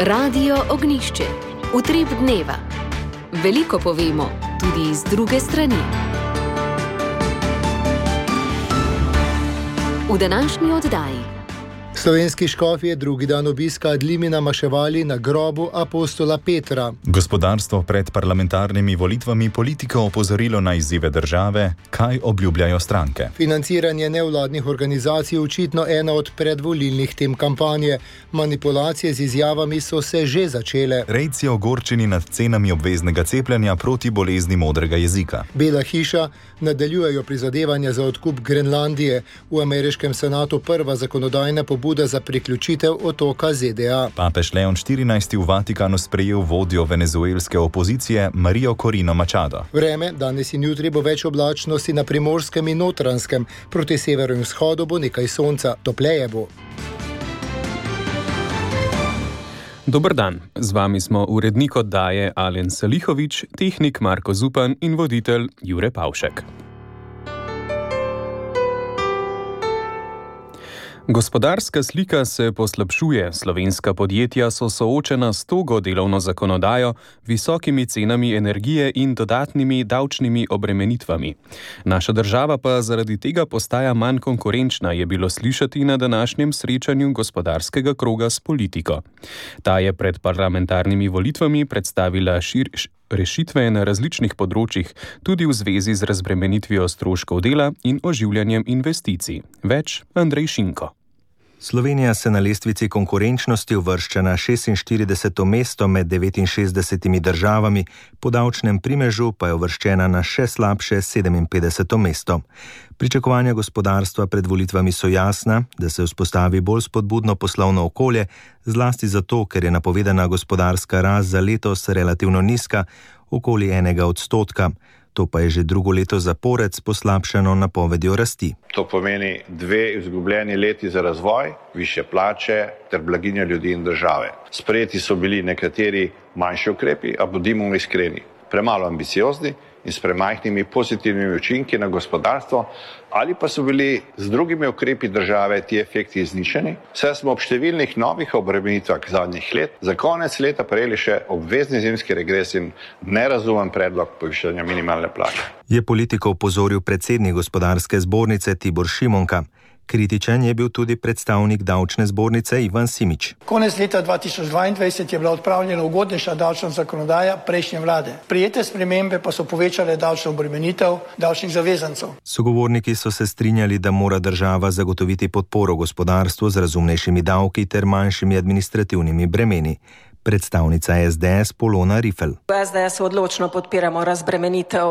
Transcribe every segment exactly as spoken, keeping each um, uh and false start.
Radio Ognjišče. Utrip dneva. Veliko povemo, tudi iz druge strani. V današnji oddaji. Slovenski škof je drugi dan obiska Adlimina maševali na grobu apostola Petra. Gospodarstvo pred parlamentarnimi volitvami politiko opozorilo na izzive države, kaj obljubljajo stranke. Financiranje nevladnih organizacij je očitno ena od predvolilnih tem kampanje. Manipulacije z izjavami so se že začele. Rejci ogorčeni nad cenami obveznega cepljenja proti bolezni modrega jezika. Bela hiša nadaljujejo prizadevanja za odkup Grenlandije. V ameriškem senatu prva zakonodajna pobuda za priključitev otoka Z D A. Papež Leon štirinajsti v Vatikanu sprejel vodjo venezuelske opozicije Marijo Corino Machado. Vreme, danes in jutri bo več oblačnosti na Primorskem in Notranjskem. Proti severu in vzhodu bo nekaj sonca, topleje bo. Dober dan, z vami smo urednik oddaje Alen Salihovič, tehnik Marko Zupan in voditelj Jure Pavšek. Gospodarska slika se poslabšuje, slovenska podjetja so soočena s togo delovno zakonodajo, visokimi cenami energije in dodatnimi davčnimi obremenitvami. Naša država pa zaradi tega postaja manj konkurenčna, je bilo slišati na današnjem srečanju gospodarskega kroga s politiko. Ta je pred parlamentarnimi volitvami predstavila šir, rešitve na različnih področjih, tudi v zvezi z razbremenitvijo stroškov dela in oživljanjem investicij. Več Andrej Šinko. Slovenija se na lestvici konkurenčnosti uvršča na šestinštirideseto mesto med devetinšestdesetimi državami, po davčnem primežu pa je uvrščena na še slabše sedeminpetdeseto mesto. Pričakovanja gospodarstva pred volitvami so jasna, da se vzpostavi bolj spodbudno poslovno okolje, zlasti zato, ker je napovedana gospodarska rast za letos relativno nizka, okoli enega odstotka. To pa je že drugo leto zapored s poslabšano napovedjo rasti. To pomeni dve izgubljeni leti za razvoj, višje plače ter blaginjo ljudi in države. Sprejeti so bili nekateri manjši ukrepi, a bodimo iskreni, premalo ambiciozni in s premajhnimi pozitivnimi učinki na gospodarstvo, ali pa so bili z drugimi ukrepi države ti efekti izničeni, saj smo ob številnih novih obremenitvah zadnjih let za konec leta prejeli še obvezni zimski regres in nerazumen predlog povišanja minimalne plače. Je politiko opozoril predsednik gospodarske zbornice Tibor Šimonka. Kritičen je bil tudi predstavnik davčne zbornice Ivan Simič. Konec leta dva tisoč dvaindvajset je bila odpravljena ugodnejša davčna zakonodaja prejšnje vlade. Prijete spremembe pa so povečale davčno obremenitev davčnih zavezancev. Sogovorniki so se strinjali, da mora država zagotoviti podporo gospodarstvu z razumnejšimi davki ter manjšimi administrativnimi bremeni. Predstavnica S D S Polona Rifel. V S D S odločno podpiramo razbremenitev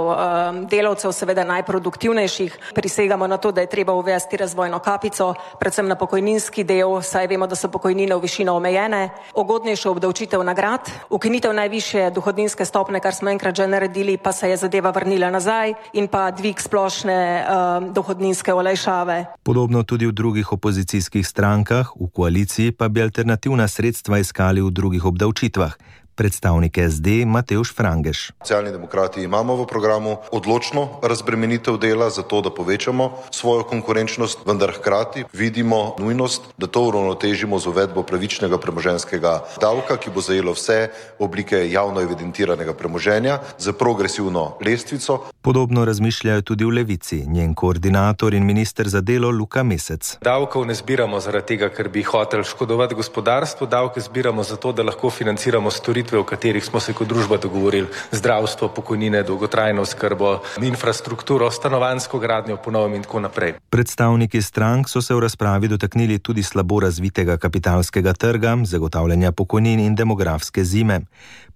delavcev, seveda najproduktivnejših. Prisegamo na to, da je treba uvesti razvojno kapico, predvsem na pokojninski del, saj vemo, da so pokojnine v višino omejene, ugodnejšo obdavčitev nagrad, ukinitev najvišje dohodninske stopne, kar smo enkrat že naredili, pa se je zadeva vrnila nazaj, in pa dvig splošne um, dohodninske olajšave. Podobno tudi v drugih opozicijskih strankah, v koaliciji pa bi alternativna sredstva iskali v drugih obdavčitvah. Davčitvah. Predstavnik S D Matevž Frangeš. Socialni demokrati imamo v programu odločno razbremenitev dela, zato da povečamo svojo konkurenčnost, vendar hkrati vidimo nujnost, da to uravnotežimo z uvedbo pravičnega premoženjskega davka, ki bo zajelo vse oblike javno evidentiranega premoženja z progresivno lestvico. Podobno razmišljajo tudi v Levici, njen koordinator in minister za delo Luka Mesec. Davkov ne zbiramo zaradi tega, ker bi hoteli škodovati gospodarstvu, davke zbiramo zato, da lahko financiramo storitve, o katerih smo se kot družba dogovorili: zdravstvo, pokojnine, dolgotrajno oskrbo, infrastrukturo, stanovanjsko gradnjo po novem in tako naprej. Predstavniki strank so se v razpravi dotaknili tudi slabo razvitega kapitalskega trga, zagotavljanja pokojnin in demografske zime.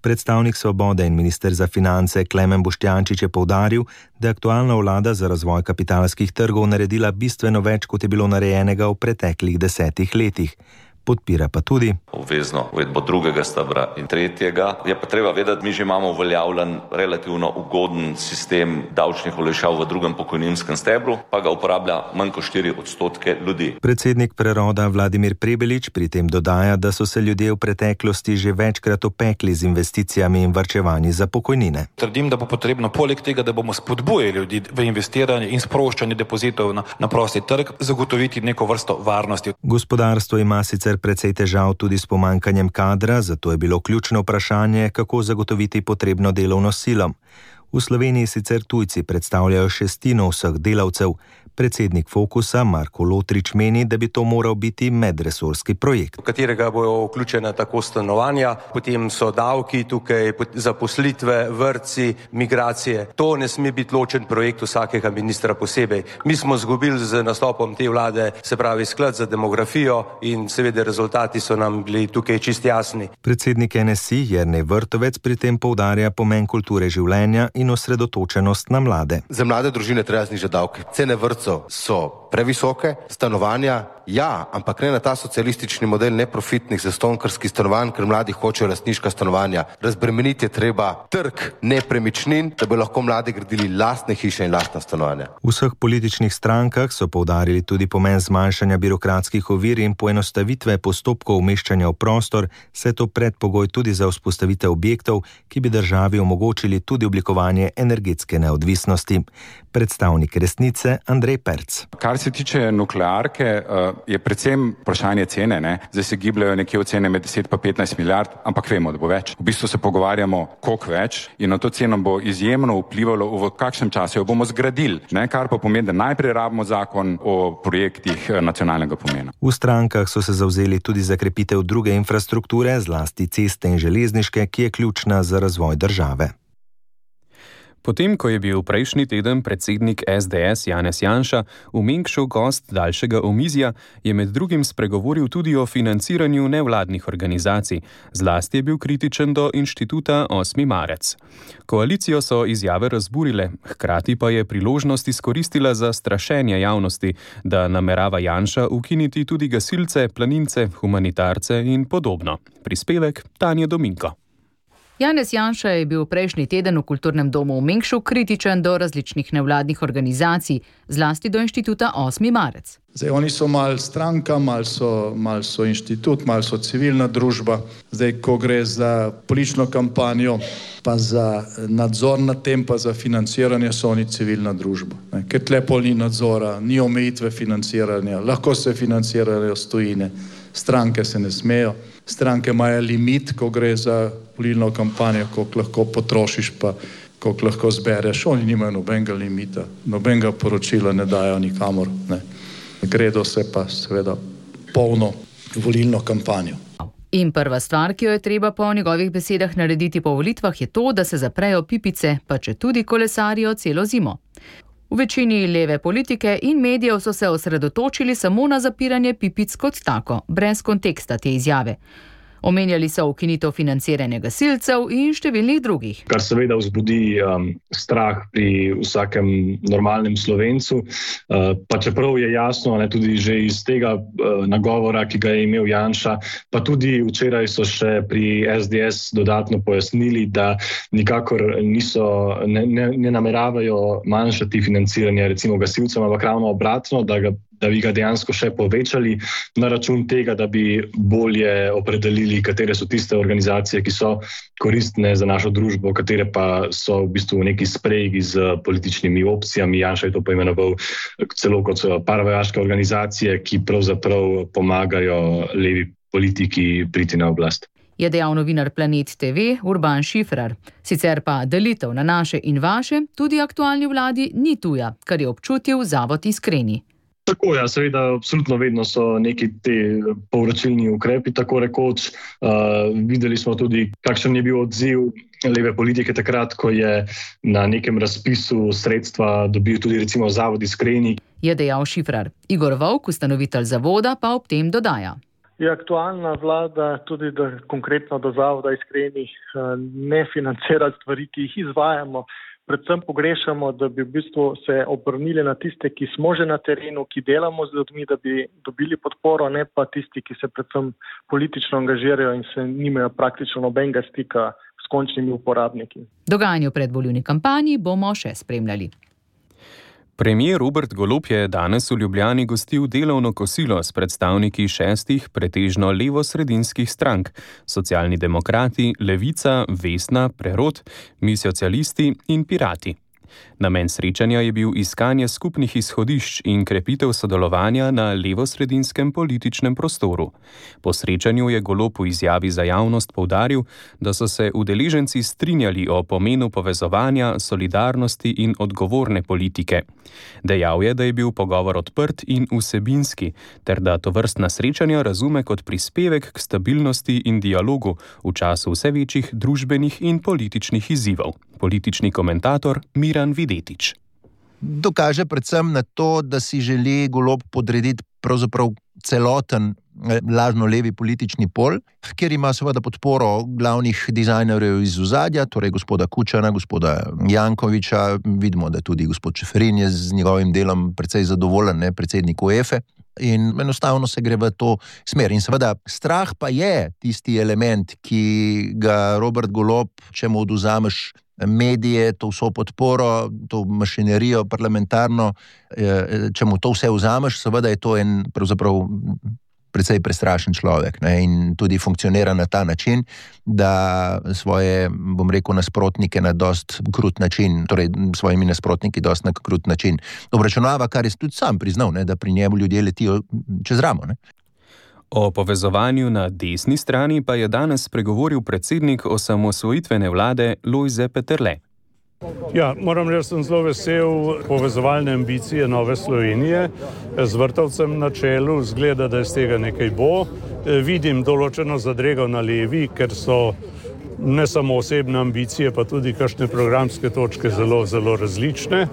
Predstavnik Svobode in minister za finance Klemen Boštjančič je poudaril, da je aktualna vlada za razvoj kapitalskih trgov naredila bistveno več, kot je bilo narejenega v preteklih desetih letih. Podpira pa tudi obvezno uvedbo drugega stebra in tretjega. Je pa treba vedeti, mi že imamo uveljavljen relativno ugoden sistem davčnih olajšav v drugem pokojninskem stebru, pa ga uporablja manj kot štiri odstotke ljudi. Predsednik Preroda Vladimir Prebelič pri tem dodaja, da so se ljudje v preteklosti že večkrat opekli z investicijami in varčevanji za pokojnine. Trdim, da bo potrebno poleg tega, da bomo spodbujali ljudi v investiranje in sproščanje depozitov na, na prosti trg, zagotoviti neko vrsto varnosti. Gospodarstvo ima sicer sicer precej težav tudi s pomankanjem kadra, zato je bilo ključno vprašanje, kako zagotoviti potrebno delovno silo. V Sloveniji sicer tujci predstavljajo šestino vseh delavcev. Predsednik Fokusa Marko Lotrič meni, da bi to moral biti medresorski projekt, v katerega bojo vključena tako stanovanja, potem so davki tukaj, zaposlitve, vrtci, migracije. To ne sme biti ločen projekt vsakega ministra posebej. Mi smo izgubili z nastopom te vlade, se pravi sklad za demografijo, in seveda rezultati so nam bili tukaj čisto jasni. Predsednik N S I Jernej Vrtovec pri tem poudarja pomen kulture življenja in osredotočenost na mlade. Za mlade družine treba znižati davke. Cene vrtcev so previsoke, stanovanja, ja, ampak ne na ta socialistični model neprofitnih zastonjkarskih stanovanj, ker mladi hočejo lastniška stanovanja. Razbremeniti je treba trg nepremičnin, da bi lahko mladi gradili lastne hiše in lastna stanovanja. V vseh političnih strankah so poudarili tudi pomen zmanjšanja birokratskih ovir in poenostavitve postopkov umeščanja v prostor, saj je to predpogoj tudi za vzpostavitev objektov, ki bi državi omogočili tudi oblikovanje energetske neodvisnosti. Predstavnik Resnice Andrej Perc. Kar se tiče nuklearke, je predvsem vprašanje cene. Ne? Zdaj se gibljajo nekje ocene med deset pa petnajst milijard, ampak vemo, da bo več. V bistvu se pogovarjamo, koliko več, in na to ceno bo izjemno vplivalo, v kakšnem času jo bomo zgradili. Ne? Kar pa pomeni, da najprej rabimo zakon o projektih nacionalnega pomena. V strankah so se zavzeli tudi za krepitev druge infrastrukture, zlasti ceste in železniške, ki je ključna za razvoj države. Potem, ko je bil prejšnji teden predsednik S D S Janez Janša v Mengšu gost daljšega omizja, je med drugim spregovoril tudi o financiranju nevladnih organizacij. Zlasti je bil kritičen do inštituta osmi marec. Koalicijo so izjave razburile, hkrati pa je priložnost izkoristila za strašenje javnosti, da namerava Janša ukiniti tudi gasilce, planince, humanitarce in podobno. Prispevek Tanje Dominko. Janez Janša je bil prejšnji teden v kulturnem domu v Mengšu kritičen do različnih nevladnih organizacij, zlasti do inštituta osmi marec. Zdaj, oni so mal stranka, mal so, mal so inštitut, mal so civilna družba. Zdaj, ko gre za politično kampanjo, pa za nadzor nad tem, pa za financiranje, so oni civilna družba. Ne, ker tlepo ni nadzora, ni omejitve financiranja, lahko se financirajo s tujine, stranke se ne smejo. Stranke imajo limit, ko gre za volilno kampanjo, koliko lahko potrošiš, pa koliko lahko zbereš. Oni nimajo nobenega limita, nobenega poročila ne dajo nikamor. Ne. Gredo se pa seveda polno volilno kampanjo. In prva stvar, ki jo je treba po njegovih besedah narediti po volitvah, je to, da se zaprejo pipice, pa če tudi kolesarijo celo zimo. V večini leve politike in medijev so se osredotočili samo na zapiranje pipic kot tako, brez konteksta te izjave. Omenjali so ukinitev financiranja gasilcev in številnih drugih. Kar seveda vzbudi um, strah pri vsakem normalnem Slovencu, uh, pa čeprav je jasno, ne, tudi že iz tega uh, nagovora, ki ga je imel Janša, pa tudi včeraj so še pri S D S dodatno pojasnili, da nikakor niso, ne, ne, ne nameravajo manjšati financiranje recimo gasilcem, ampak ravno obratno, da ga da bi ga dejansko še povečali na račun tega, da bi bolje opredelili, katere so tiste organizacije, ki so koristne za našo družbo, katere pa so v bistvu neki sprejgi z političnimi opcijami. Janša je to poimenoval celo kot paravojaške organizacije, ki pravzaprav pomagajo levi politiki priti na oblast. Je dejal novinar Planet T V Urban Šifrar. Sicer pa delitev na naše in vaše tudi aktualni vladi ni tuja, kar je občutil Zavod Iskreni. Tako, ja, seveda, absolutno vedno so neki te povračilni ukrepi, tako rekoč. Uh, videli smo tudi, kakšen je bil odziv leve politike takrat, ko je na nekem razpisu sredstva dobil tudi recimo Zavod Iskreni. Je dejal Šifrar. Igor Vovk, ustanovitelj zavoda, pa ob tem dodaja. Je aktualna vlada tudi da, konkretno do Zavoda Iskreni ne financira stvari, ki jih izvajamo. Predvsem pogrešamo, da bi v bistvu se obrnili na tiste, ki smo že na terenu, ki delamo z ljudmi, da bi dobili podporo, ne pa tisti, ki se predvsem politično angažirajo in se nimajo praktično nobenega stika s končnimi uporabniki. Dogajanje v predvolilni kampanji bomo še spremljali. Premier Robert Golob je danes v Ljubljani gostil delovno kosilo s predstavniki šestih pretežno levo-sredinskih strank: Socialni demokrati, Levica, Vesna, Prerod, Mi socialisti in Pirati. Namen srečanja je bil iskanje skupnih izhodišč in krepitev sodelovanja na levosredinskem političnem prostoru. Po srečanju je Golob v izjavi za javnost poudaril, da so se udeleženci strinjali o pomenu povezovanja, solidarnosti in odgovorne politike. Dejal je, da je bil pogovor odprt in vsebinski, ter da tovrstna srečanja razume kot prispevek k stabilnosti in dialogu v času vse večjih družbenih in političnih izzivov. Politični komentator Miran Videtič. Dokaže predvsem na to, da si želi Golob podrediti pravzaprav celoten lažno levi politični pol, kjer ima seveda podporo glavnih dizajnerjev iz ozadja, torej gospoda Kučana, gospoda Jankoviča, vidimo, da tudi gospod Čeferin je z njegovim delom precej zadovoljen, ne, predsednik UEFA. In enostavno se gre v to smer. In seveda strah pa je tisti element, ki ga Robert Golob, če mu odvzameš medije, to vso podporo, to mašinerijo parlamentarno, če mu to vse vzameš, seveda je to en pravzaprav precej prestrašen človek, ne, in tudi funkcionira na ta način, da svoje, bom rekel, nasprotnike na dost krut način, torej svojimi nasprotniki dost na krut način obračunava, kar je tudi sam priznal, ne, da pri njemu ljudje letijo čez ramo, ne. O povezovanju na desni strani pa je danes spregovoril predsednik osamosvojitvene vlade Lojze Peterle. Ja, moram reči, sem zelo vesel povezovalne ambicije Nove Slovenije z Vrtovcem na čelu, zgleda, da iz tega nekaj bo. Vidim določeno zadrego na levi, ker so ne samo osebne ambicije, pa tudi kakšne programske točke zelo, zelo različne.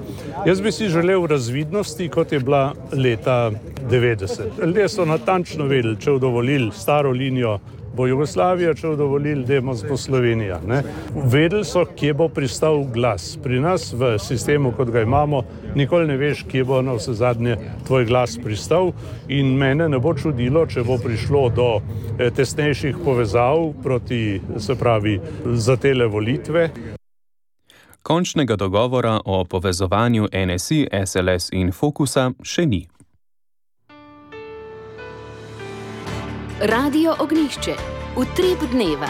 Jaz bi si želel razvidnosti, kot je bila leta devetdeset. Ljudje so natančno vedeli, če dovolili staro linijo bo Jugoslavija, če dovolili Demos bo Slovenija. Ne? Vedeli so, kje bo pristal glas. Pri nas v sistemu, kot ga imamo, nikoli ne veš, kje bo na vse zadnje tvoj glas pristal, in mene ne bo čudilo, če bo prišlo do tesnejših povezav proti, se pravi, za tele volitve. Končnega dogovora o povezovanju N S I, S L S in Fokusa še ni. Radio Ognjišče. Utrip dneva.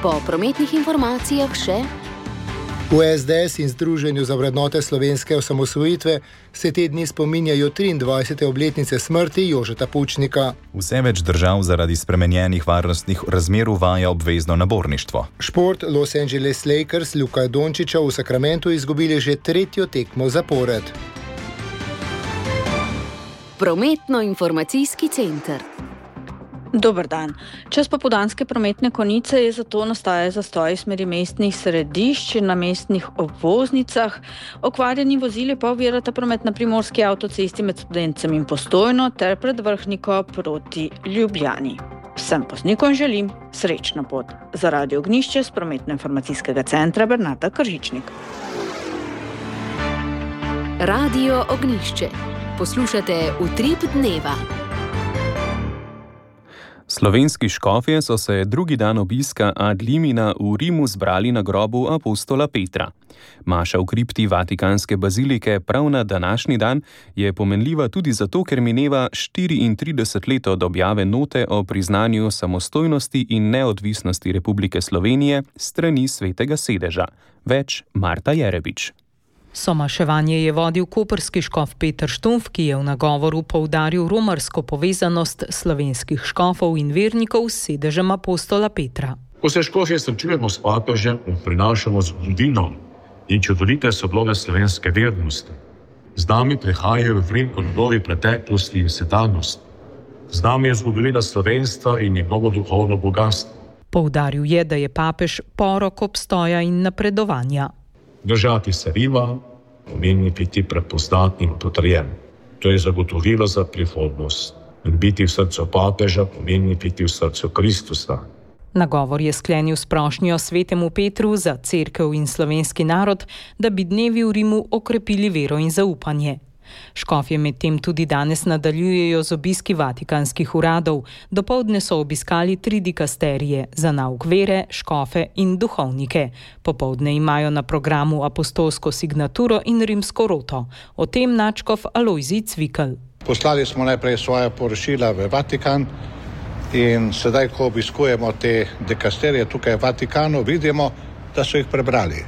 Po prometnih informacijah še. V S D S in Združenju za vrednote slovenske osamosvojitve se te dni spominjajo triindvajsete obletnice smrti Jožeta Pučnika. Vse več držav zaradi spremenjenih varnostnih razmer uvaja obvezno naborništvo. Šport Los Angeles Lakers Luka Dončića v Sacramentu izgubili že tretjo tekmo zapored. Prometno-informacijski center. Dober dan. Čez popoldanske prometne konice je zato nastaja zastoj smeri mestnih središč na mestnih obvoznicah. Okvarjeni vozili pa ovirata promet na primorski avtocesti med Studencem in Postojno ter pred Vrhniko proti Ljubljani. Vsem voznikom želim srečno pot. Za Radio Ognjišče s prometno-informacijskega centra Bernarda Kržičnik. Radio Ognjišče. Poslušate Utrip dneva. Slovenski škofje so se drugi dan obiska ad limina v Rimu zbrali na grobu apostola Petra. Maša v kripti Vatikanske bazilike prav na današnji dan je pomenljiva tudi zato, ker mineva štiriintrideset let od objave note o priznanju samostojnosti in neodvisnosti Republike Slovenije strani Svetega sedeža. Več Marta Jerebič. Somaševanje je vodil koprski škof Peter Štumf, ki je v nagovoru poudaril romarsko povezanost slovenskih škofov in vernikov s sedežem apostola Petra. Ko se škofje srečujemo s papežem, prinašamo zgodovino in čudovite sobloge slovenske vernosti. Z nami prihajajo v Rim rodovi preteklosti in sedanjosti. Z nami je zgodovina slovenstva in njegovo duhovno bogatstvo. Poudaril je, da je papež porok obstoja in napredovanja. Držati se Rima pomeni biti prepoznan in potrjen. To je zagotovilo za prihodnost. In biti v srcu papeža pomeni biti v srcu Kristusa. Nagovor je sklenil s prošnjo svetemu Petru za cerkev in slovenski narod, da bi dnevi v Rimu okrepili vero in zaupanje. Škofje medtem tudi danes nadaljujejo z obiski vatikanskih uradov. Dopoldne so obiskali tri dikasterije za nauk vere, škofe in duhovnike. Popoldne imajo na programu apostolsko signaturo in rimsko roto. O tem nadškof Alojzij Cvikl. Poslali smo najprej svoja poročila v Vatikan in sedaj, ko obiskujemo te dikasterije tukaj v Vatikanu, vidimo, da so jih prebrali.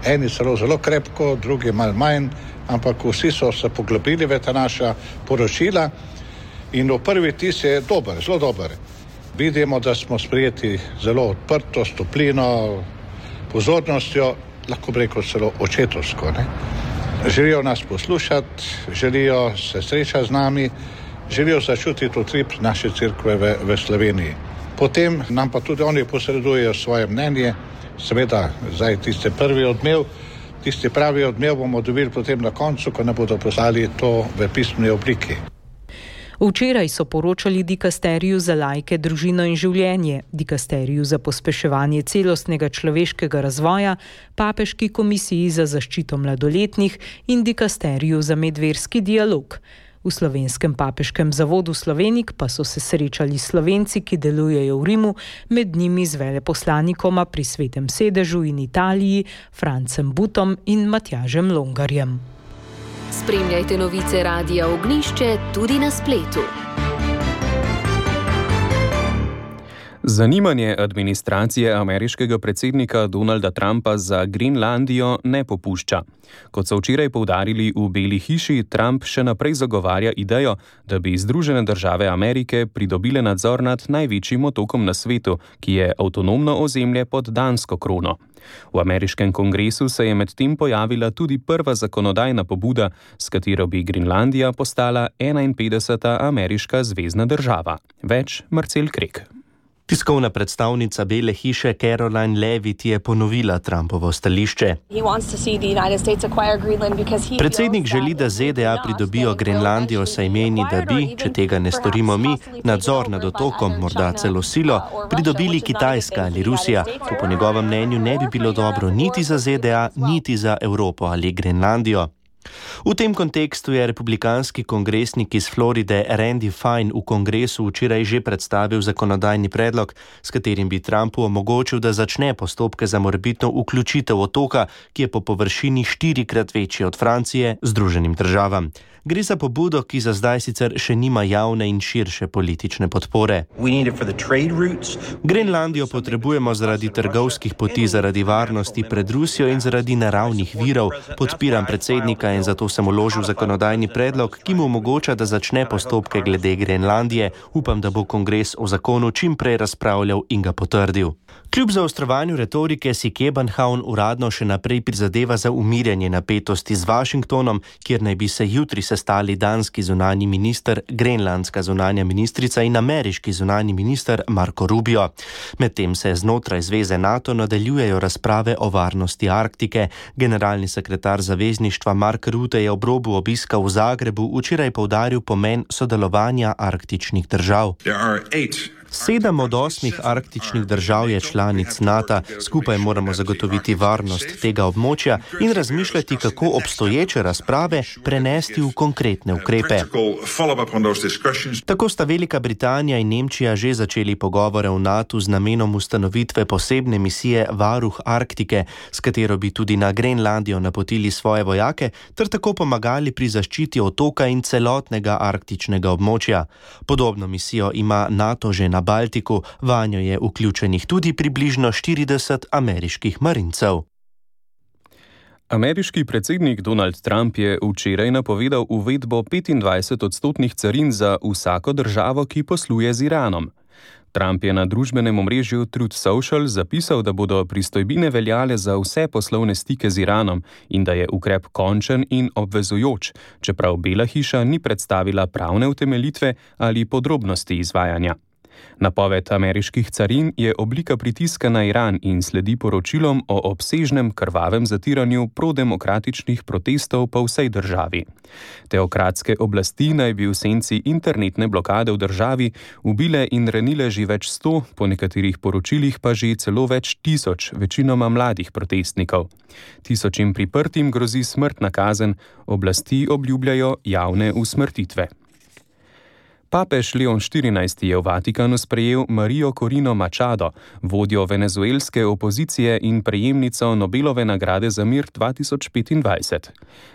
eni celo zelo krepko, drugi malo manj, ampak vsi so se poglobili v ta naša poročila in v prvi tis je dober, zelo dober. Vidimo, da smo sprejeti zelo odprto, s toplino, pozornostjo, lahko bi rekel celo očetovsko. Ne? Želijo nas poslušati, želijo se srečati z nami, želijo začutiti utrip naše cerkve v, v Sloveniji. Potem nam pa tudi oni posredujejo svoje mnenje, seveda zdaj tiste prvi odmev, tisti pravi odmev bomo dobili potem na koncu, ko ne bodo poslali to v pismeni obliki. Včeraj so poročali dikasteriju za laike, družino in življenje, dikasteriju za pospeševanje celostnega človeškega razvoja, papeški komisiji za zaščito mladoletnih in dikasteriju za medverski dialog. V Slovenskem papeškem zavodu Slovenik pa so se srečali Slovenci, ki delujejo v Rimu, med njimi z veleposlanikoma pri Svetem sedežu in Italiji, Francem Butom in Matjažem Longarjem. Spremljajte novice Radia Ognjišče tudi na spletu. Zanimanje administracije ameriškega predsednika Donalda Trumpa za Grenlandijo ne popušča. Kot so včeraj poudarili v Beli hiši, Trump še naprej zagovarja idejo, da bi Združene države Amerike pridobile nadzor nad največjim otokom na svetu, ki je avtonomno ozemlje pod dansko krono. V ameriškem kongresu se je medtem pojavila tudi prva zakonodajna pobuda, s katero bi Grenlandija postala enainpetdeseta ameriška zvezna država. Več Marcel Krek. Tiskovna predstavnica Bele hiše Caroline Leavitt je ponovila Trumpovo stališče. Predsednik želi, da Z D A pridobijo Grenlandijo, saj meni, da bi, če tega ne storimo mi, nadzor nad otokom, morda celo silo, pridobili Kitajska ali Rusija. To po njegovem mnenju ne bi bilo dobro niti za Z D A, niti za Evropo ali Grenlandijo. V tem kontekstu je republikanski kongresnik iz Floride Randy Fine v kongresu včeraj že predstavil zakonodajni predlog, s katerim bi Trumpu omogočil, da začne postopke za morebitno vključitev otoka, ki je po površini štirikrat večji od Francije, Združenim državam. Gre za pobudo, ki za zdaj sicer še nima javne in širše politične podpore. Grenlandijo potrebujemo zaradi trgovskih poti, zaradi varnosti pred Rusijo in zaradi naravnih virov. Podpiram predsednika in zato sem vložil zakonodajni predlog, ki mu omogoča, da začne postopke glede Grenlandije. Upam, da bo kongres o zakonu čim prej razpravljal in ga potrdil. Kljub zaostrovanju retorike si Kebanhavn uradno še naprej prizadeva za umirjanje napetosti z Washingtonom, kjer naj bi se jutri sestali danski zunanji minister, grenlandska zunanja ministrica in ameriški zunanji minister Marco Rubio. Medtem se znotraj zveze NATO nadaljujejo razprave o varnosti Arktike. Generalni sekretar zavezništva Mark Rutte je ob robu obiska v Zagrebu včeraj poudaril pomen sodelovanja arktičnih držav. Sedem od osmih arktičnih držav je članic NATO, skupaj moramo zagotoviti varnost tega območja in razmišljati, kako obstoječe razprave prenesti v konkretne ukrepe. Tako sta Velika Britanija in Nemčija že začeli pogovore v NATO z namenom ustanovitve posebne misije Varuh Arktike, s katero bi tudi na Grenlandijo napotili svoje vojake, ter tako pomagali pri zaščiti otoka in celotnega arktičnega območja. Podobno misijo ima NATO že na Na Baltiku, vanjo je vključenih tudi približno štirideset ameriških marincev. Ameriški predsednik Donald Trump je včeraj napovedal uvedbo petindvajset odstotnih carin za vsako državo, ki posluje z Iranom. Trump je na družbenem omrežju Truth Social zapisal, da bodo pristojbine veljale za vse poslovne stike z Iranom in da je ukrep končen in obvezujoč, čeprav Bela hiša ni predstavila pravne utemeljitve ali podrobnosti izvajanja. Napoved ameriških carin je oblika pritiska na Iran in sledi poročilom o obsežnem krvavem zatiranju prodemokratičnih protestov po vsej državi. Teokratske oblasti naj bi v senci internetne blokade v državi ubile in ranile že več sto, po nekaterih poročilih pa že celo več tisoč, večinoma mladih protestnikov. Tisočim priprtim grozi smrtna kazen, oblasti obljubljajo javne usmrtitve. Papež Leon štirinajsti je v Vatikanu sprejel Marijo Corino Machado, vodjo venezuelske opozicije in prejemnico Nobelove nagrade za mir dva tisoč petindvajset.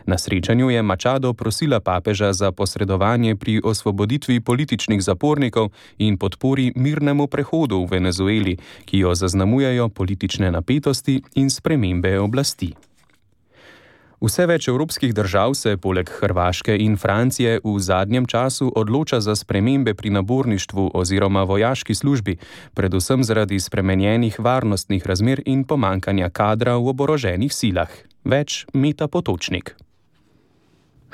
Na srečanju je Machado prosila papeža za posredovanje pri osvoboditvi političnih zapornikov in podpori mirnemu prehodu v Venezueli, ki jo zaznamujejo politične napetosti in spremembe oblasti. Vse več evropskih držav se poleg Hrvaške in Francije v zadnjem času odloča za spremembe pri naborništvu oziroma vojaški službi, predvsem zaradi spremenjenih varnostnih razmer in pomankanja kadra v oboroženih silah. Več Meta Potočnik.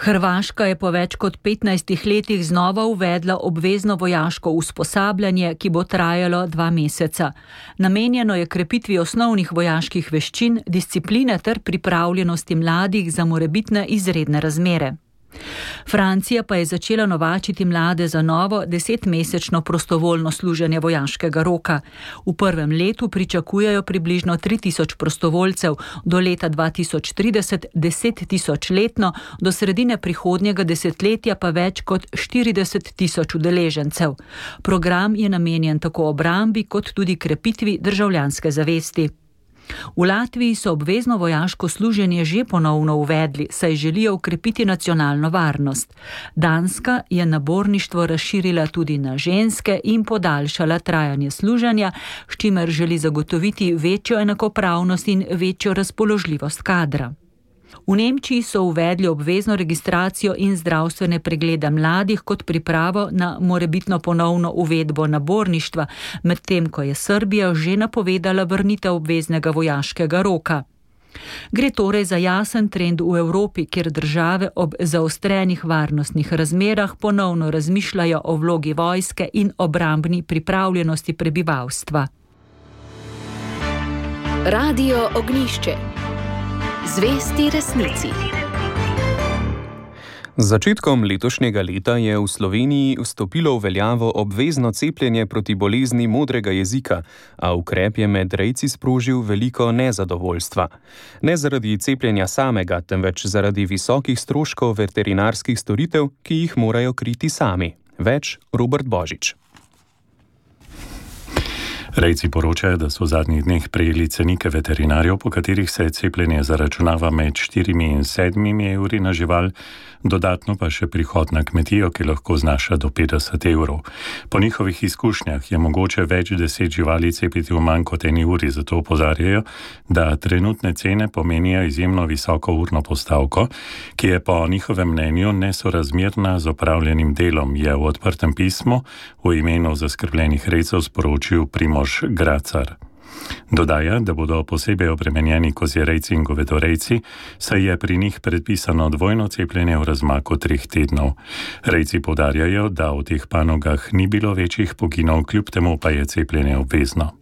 Hrvaška je po več kot petnajstih letih znova uvedla obvezno vojaško usposabljanje, ki bo trajalo dva meseca. Namenjeno je krepitvi osnovnih vojaških veščin, discipline ter pripravljenosti mladih za morebitne izredne razmere. Francija pa je začela novačiti mlade za novo desetmesečno prostovoljno služenje vojaškega roka. V prvem letu pričakujejo približno tri tisoč prostovoljcev, do leta dva tisoč trideset deset tisoč letno, do sredine prihodnjega desetletja pa več kot štirideset tisoč udeležencev. Program je namenjen tako obrambi kot tudi krepitvi državljanske zavesti. V Latviji so obvezno vojaško služenje že ponovno uvedli, saj želijo ukrepiti nacionalno varnost. Danska je naborništvo razširila tudi na ženske in podaljšala trajanje služenja, s čimer želi zagotoviti večjo enakopravnost in večjo razpoložljivost kadra. V Nemčiji so uvedli obvezno registracijo in zdravstvene preglede mladih kot pripravo na morebitno ponovno uvedbo naborništva, medtem ko je Srbija že napovedala vrnitev obveznega vojaškega roka. Gre torej za jasen trend v Evropi, kjer države ob zaostrenih varnostnih razmerah ponovno razmišljajo o vlogi vojske in obrambni pripravljenosti prebivalstva. Radio Ognjišče. Zvesti resnici. Z začetkom letošnjega leta je v Sloveniji vstopilo v veljavo obvezno cepljenje proti bolezni modrega jezika, a ukrep je med rejci sprožil veliko nezadovoljstva. Ne zaradi cepljenja samega, temveč zaradi visokih stroškov veterinarskih storitev, ki jih morajo kriti sami. Več Robert Božič. Rejci poročajo, da so v zadnjih dneh prejeli cenike veterinarjev, po katerih se cepljenje zaračunava med štirimi in sedmimi evri na žival, dodatno pa še prihod na kmetijo, ki lahko znaša do petdeset evrov. Po njihovih izkušnjah je mogoče več deset živali cepiti v manj kot eni uri, zato opozarjajo, da trenutne cene pomenijo izjemno visoko urno postavko, ki je po njihovem mnenju nesorazmerna z opravljenim delom, je v odprtem pismu v imenu zaskrbljenih rejcev sporočil Primož Gracar. Dodaja, da bodo posebej obremenjeni kozjerejci in govedorejci, saj je pri njih predpisano dvojno cepljenje v razmaku treh tednov. Rejci poudarjajo, da v teh panogah ni bilo večjih poginov, kljub temu pa je cepljenje obvezno.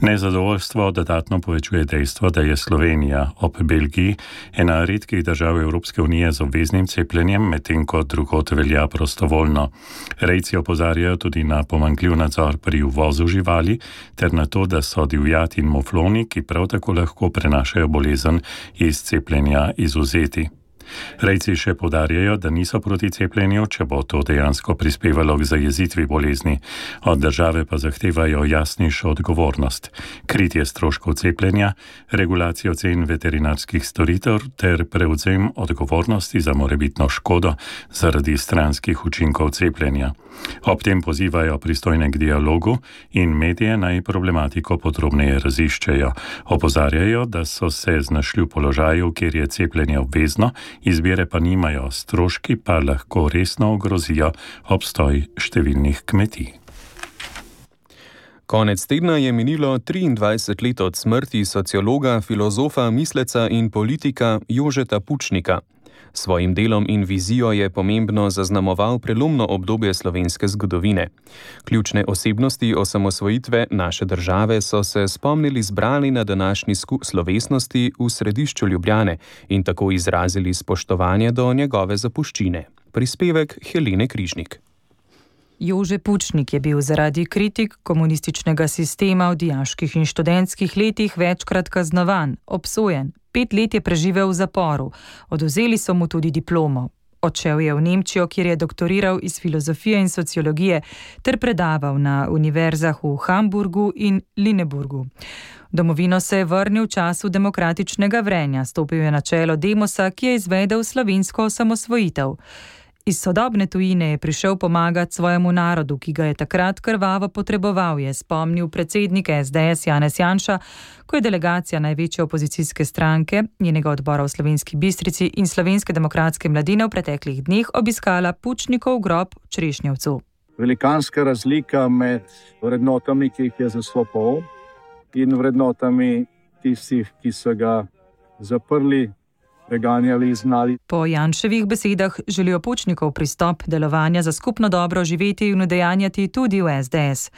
Nezadovoljstvo dodatno povečuje dejstvo, da je Slovenija ob Belgiji ena redkih držav Evropske unije z obveznim cepljenjem, medtem ko drugod velja prostovoljno. Rejci opozarjajo tudi na pomanjkljiv nadzor pri uvozu živali ter na to, da so divjad in mufloni, ki prav tako lahko prenašajo bolezen, iz cepljenja izvzeti. Rejci še poudarjajo, da niso proti cepljenju, če bo to dejansko prispevalo k zajezitvi bolezni. Od države pa zahtevajo jasnejšo odgovornost, kritje stroškov cepljenja, regulacijo cen veterinarskih storitev ter prevzem odgovornosti za morebitno škodo zaradi stranskih učinkov cepljenja. Ob tem pozivajo pristojne k dialogu in medije naj problematiko podrobneje raziščejo. Opozarjajo, da so se znašli v položaju, kjer je cepljenje obvezno, izbire pa nimajo, stroški pa lahko resno ogrozijo obstoj številnih kmetij. Konec tedna je minilo triindvajset let od smrti sociologa, filozofa, misleca in politika Jožeta Pučnika. Svojim delom in vizijo je pomembno zaznamoval prelomno obdobje slovenske zgodovine. Ključne osebnosti osamosvojitve naše države so se spomnili zbrani na današnji slovesnosti v središču Ljubljane in tako izrazili spoštovanje do njegove zapuščine. Prispevek Helene Križnik. Jože Pučnik je bil zaradi kritik komunističnega sistema v dijaških in študentskih letih večkrat kaznovan, obsojen. Pet let je preživel v zaporu. Odvzeli so mu tudi diplomo. Odšel je v Nemčijo, kjer je doktoriral iz filozofije in sociologije ter predaval na univerzah v Hamburgu in Lüneburgu. Domovino se je vrnil v času demokratičnega vrenja, stopil je na čelo Demosa, ki je izvedel slovensko osamosvojitev. Iz sodobne tujine je prišel pomagati svojemu narodu, ki ga je takrat krvavo potreboval, je spomnil predsednik S D S Janez Janša, ko je delegacija največje opozicijske stranke, njenega odbora v Slovenski Bistrici in Slovenske demokratske mladine v preteklih dneh obiskala Pučnikov grob v Črešnjevcu. Velikanska razlika med vrednotami, ki jih je zastopal, in vrednotami tistih, ki so ga zaprli, preganjali, znali. Po Janševih besedah želijo Pučnikov pristop delovanja za skupno dobro živeti in udejanjati tudi v S D S.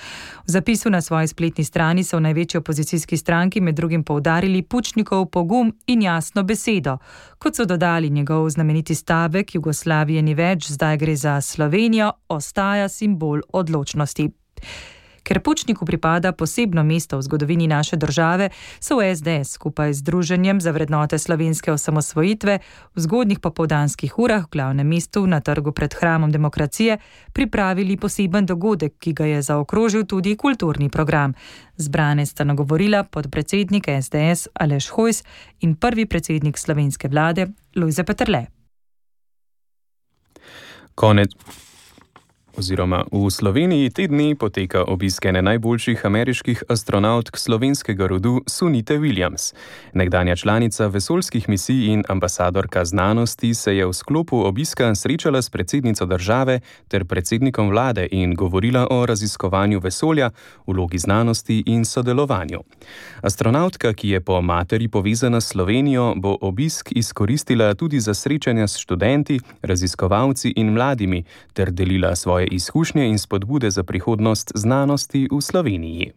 V zapisu na svoji spletni strani so v največji opozicijski stranki med drugim poudarili Pučnikov pogum in jasno besedo. Kot so dodali, njegov znameniti stavek Jugoslavije ni več, zdaj gre za Slovenijo, ostaja simbol odločnosti. Ker Pučniku pripada posebno mesto v zgodovini naše države, so v S D S skupaj z Združenjem za vrednote slovenske osamosvojitve v zgodnjih popoldanskih urah v glavnem mestu na trgu pred hramom demokracije pripravili poseben dogodek, ki ga je zaokrožil tudi kulturni program. Zbrane sta nagovorila podpredsednik S D S Aleš Hojs in prvi predsednik slovenske vlade Lojze Peterle. Konec. Oziroma v Sloveniji te dni poteka obisk ene najboljših ameriških astronautk slovenskega rodu Sunite Williams. Nekdanja članica vesoljskih misij in ambasadorka znanosti se je v sklopu obiska srečala s predsednico države ter predsednikom vlade in govorila o raziskovanju vesolja, vlogi znanosti in sodelovanju. Astronautka, ki je po materi povezana s Slovenijo, bo obisk izkoristila tudi za srečanja s študenti, raziskovalci in mladimi ter delila svoje izkušnje in spodbude za prihodnost znanosti v Sloveniji.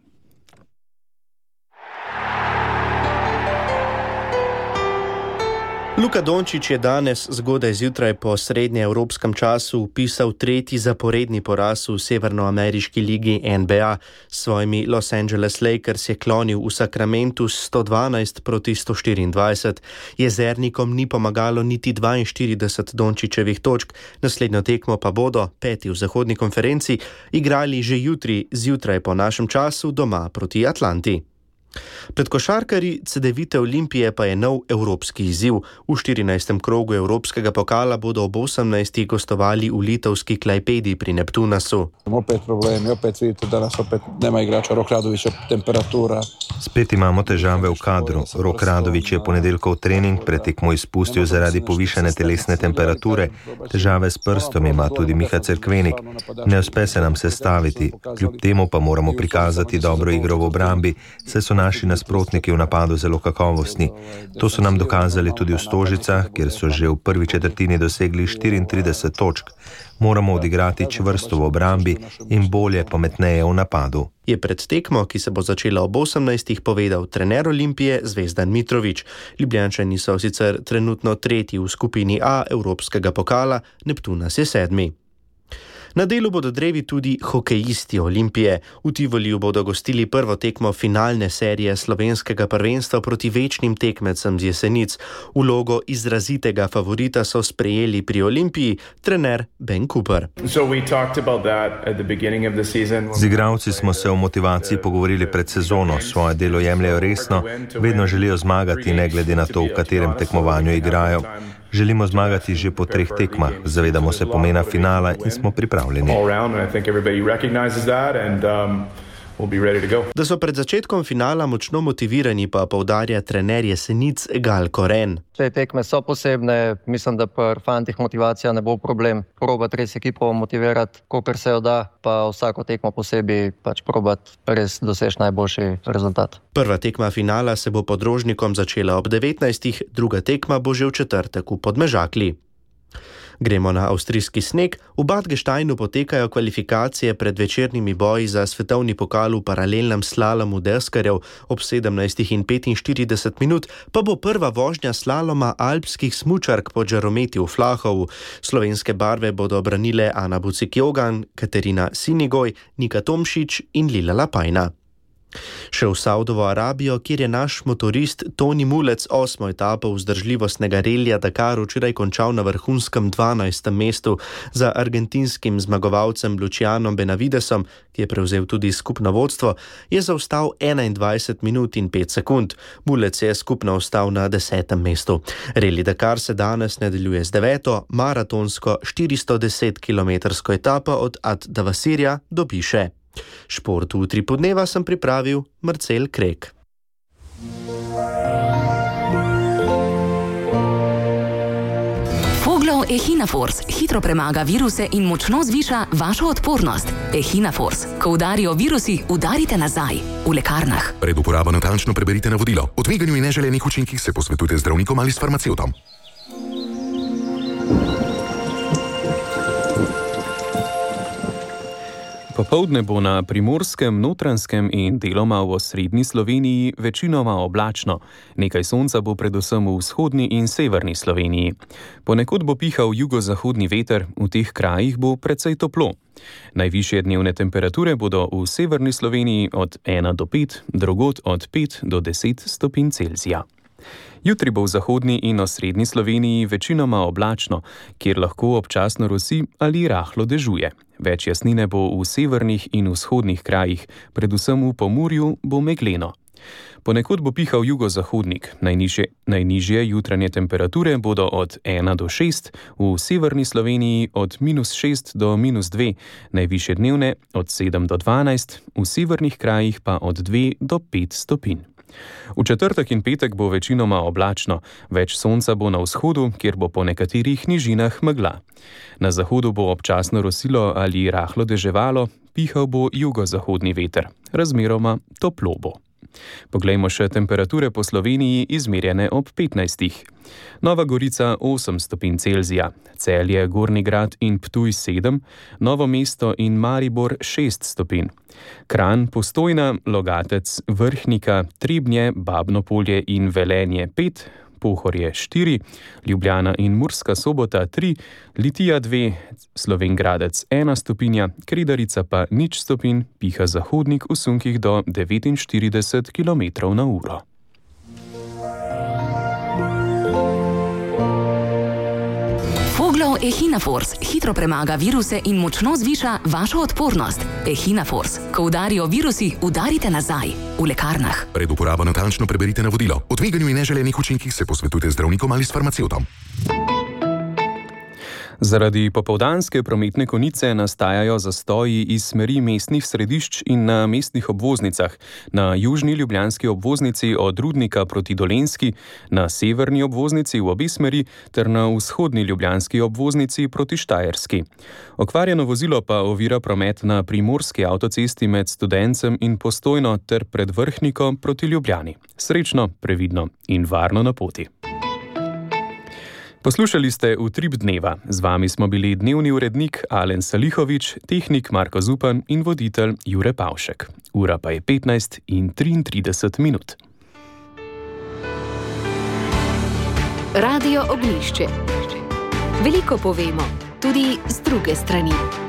Luka Dončić je danes zgodaj zjutraj po srednjeevropskem času vpisal tretji zaporedni poraz v severnoameriški ligi N B A. S svojimi Los Angeles Lakers je klonil v Sacramentu sto dvanajst proti sto štiriindvajset. Jezernikom ni pomagalo niti dvainštirideset Dončićevih točk, naslednjo tekmo pa bodo, peti v zahodni konferenci, igrali že jutri zjutraj po našem času doma proti Atlanti. Pred košarkarji Cedevite Olimpije pa je nov evropski izziv. V štirinajstem krogu evropskega pokala bodo ob osemnajstih gostovali v litovski Klajpedi pri Neptunasu. Opet problemi, opet vidite, danes opet nema igrača, Rok Radović, temperatura. Spet imamo težave v kadru. Rok Radović je ponedeljkov trening pred tekmo izpustil zaradi povišene telesne temperature. Težave s prstom ima tudi Miha Cerkvenik. Ne uspe se nam sestaviti. Kljub temu pa moramo prikazati dobro igro v obrambi, saj so naši nasprotniki v napadu zelo kakovostni. To so nam dokazali tudi v Stožicah, kjer so že v prvi četrtini dosegli štiriintrideset točk. Moramo odigrati čvrsto v obrambi in bolje pametneje v napadu. Je pred tekmo, ki se bo začela ob osemnajstih, povedal trener Olimpije Zvezdan Mitrović. Ljubljančani so sicer trenutno tretji v skupini A evropskega pokala, Neptunas je sedmi. Na delu bodo drevi tudi hokejisti Olimpije. V Tivoliju bodo gostili prvo tekmo finalne serije slovenskega prvenstva proti večnim tekmecem z Jesenic. Vlogo izrazitega favorita so sprejeli pri Olimpiji trener Ben Cooper. Z igralci smo se o motivaciji pogovorili pred sezono. Svoje delo jemljajo resno, vedno želijo zmagati, ne glede na to, v katerem tekmovanju igrajo. Želimo zmagati že po treh tekmah, zavedamo se pomena finala in smo pripravljeni. Da so pred začetkom finala močno motivirani, pa poudarja trener Jesenic Gal Koren. Te tekme so posebne, mislim, da pri fantih motivacija ne bo problem. Probati res ekipo motivirati, kolikor se jo da, pa vsako tekmo posebej pač probati res doseči najboljši rezultat. Prva tekma finala se bo pod Rožnikom začela ob devetnajstih, druga tekma bo že v četrtek v Podmežakli. Gremo na avstrijski sneg. V Bad Gesteinu potekajo kvalifikacije pred večernimi boji za svetovni pokal v paralelnem slalomu deskarjev. Ob sedemnajstih in petinštirideset minut pa bo prva vožnja slaloma alpskih smučark po žarometi v Flahovu. Slovenske barve bodo branile Ana Bucik-Jogan, Katerina Sinigoj, Nika Tomšič in Lila Lapajna. Še v Saudovo Arabijo, kjer je naš motorist Toni Mulec osmo etapo vzdržljivostnega relija Dakar včeraj končal na vrhunskem dvanajstem mestu za argentinskim zmagovalcem Lucianom Benavidesom, ki je prevzel tudi skupno vodstvo, je zaostal enaindvajset minut in pet sekund. Mulec je skupno ostal na desetem mestu. Reli Dakar se danes nadaljuje z deveto maratonsko štiristo deset kilometrsko etapo od Ad Davasirja do Piše. Šport v Utripu dneva sem pripravil Marcel Krek. Foglov Echinafors hitro premaga viruse in močno zviša vašo odpornost. Echinafors. Ko udarijo virusi, udarite nazaj. V lekarnah. Pred uporabo natančno preberite navodilo. O tveganju in neželenih učinkih se posvetujte z zdravnikom ali s farmacevtom. Popoldne bo na Primorskem, Notranjskem in deloma v osrednji Sloveniji večinoma oblačno. Nekaj sonca bo predvsem v vzhodni in severni Sloveniji. Ponekod bo pihal jugozahodni veter, v teh krajih bo precej toplo. Najvišje dnevne temperature bodo v severni Sloveniji od ena do pet, drugod od pet do deset stopinj Celzija. Jutri bo v zahodni in osrednji Sloveniji večinoma oblačno, kjer lahko občasno rosi ali rahlo dežuje. Več jasnine bo v severnih in vzhodnih krajih, predvsem v Pomurju bo megleno. Ponekod bo pihal jugozahodnik, najnižje, najnižje jutranje temperature bodo od ena do šest, v severni Sloveniji od minus šest do minus dve, najvišje dnevne od sedem do dvanajst, v severnih krajih pa od dve do pet stopinj. V četrtek in petek bo večinoma oblačno, več sonca bo na vzhodu, kjer bo po nekaterih nižinah megla. Na zahodu bo občasno rosilo ali rahlo deževalo, pihal bo jugozahodni veter, razmeroma toplo bo. Poglejmo še temperature po Sloveniji izmerjene ob petnajstih. Nova Gorica osem stopinj Celzija, Celje, Gornji Grad in Ptuj sedem, Novo mesto in Maribor šest stopinj. Kranj, Postojna, Logatec, Vrhnika, Trebnje, Babno Polje in Velenje pet, Pohorje štiri, Ljubljana in Murska Sobota tri, Litija dve, Slovenj Gradec ena stopinja, Kredarica pa nič stopinj, piha zahodnik v sunkih do devetinštirideset kilometrov na uro. Foglov Echinafors hitro premaga viruse in močno zviša vašo odpornost. Echinafors. Ko udarijo virusi, udarite nazaj. V lekarnah. Pred uporabo natančno preberite navodilo. O tveganju in neželenih učinkih se posvetujte z zdravnikom ali s farmacevtom. Zaradi popoldanske prometne konice nastajajo zastoji iz smeri mestnih središč in na mestnih obvoznicah, na južni ljubljanski obvoznici od Rudnika proti Dolenjski, na severni obvoznici v obe smeri ter na vzhodni ljubljanski obvoznici proti Štajerski. Okvarjeno vozilo pa ovira promet na primorski avtocesti med Studencem in Postojno ter pred Vrhniko proti Ljubljani. Srečno, previdno in varno na poti. Poslušali ste Utrip dneva. Z vami smo bili dnevni urednik Alen Salihovič, tehnik Marko Zupan in voditelj Jure Pavšek. Ura pa je petnajst in triintrideset minut. Radio Ognjišče. Veliko povemo, tudi z druge strani.